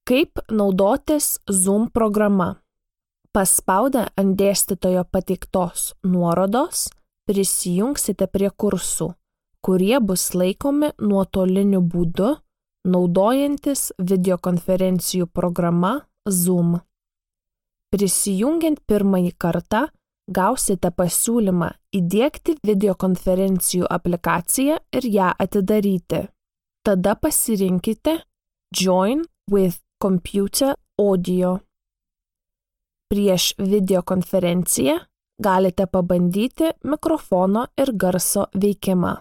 Kaip naudotis Zoom programa? Paspaudę ant dėstytojo pateiktos nuorodos, prisijungsite prie kursų, kurie bus laikomi nuotoliniu būdu, naudojantis videokonferencijų programa Zoom. Prisijungiant pirmąjį kartą, gausite pasiūlymą įdiegti videokonferencijų aplikaciją ir ją atidaryti. Tada pasirinkite Join with Computer Audio. Prieš videokonferenciją galite pabandyti mikrofono ir garso veikimą.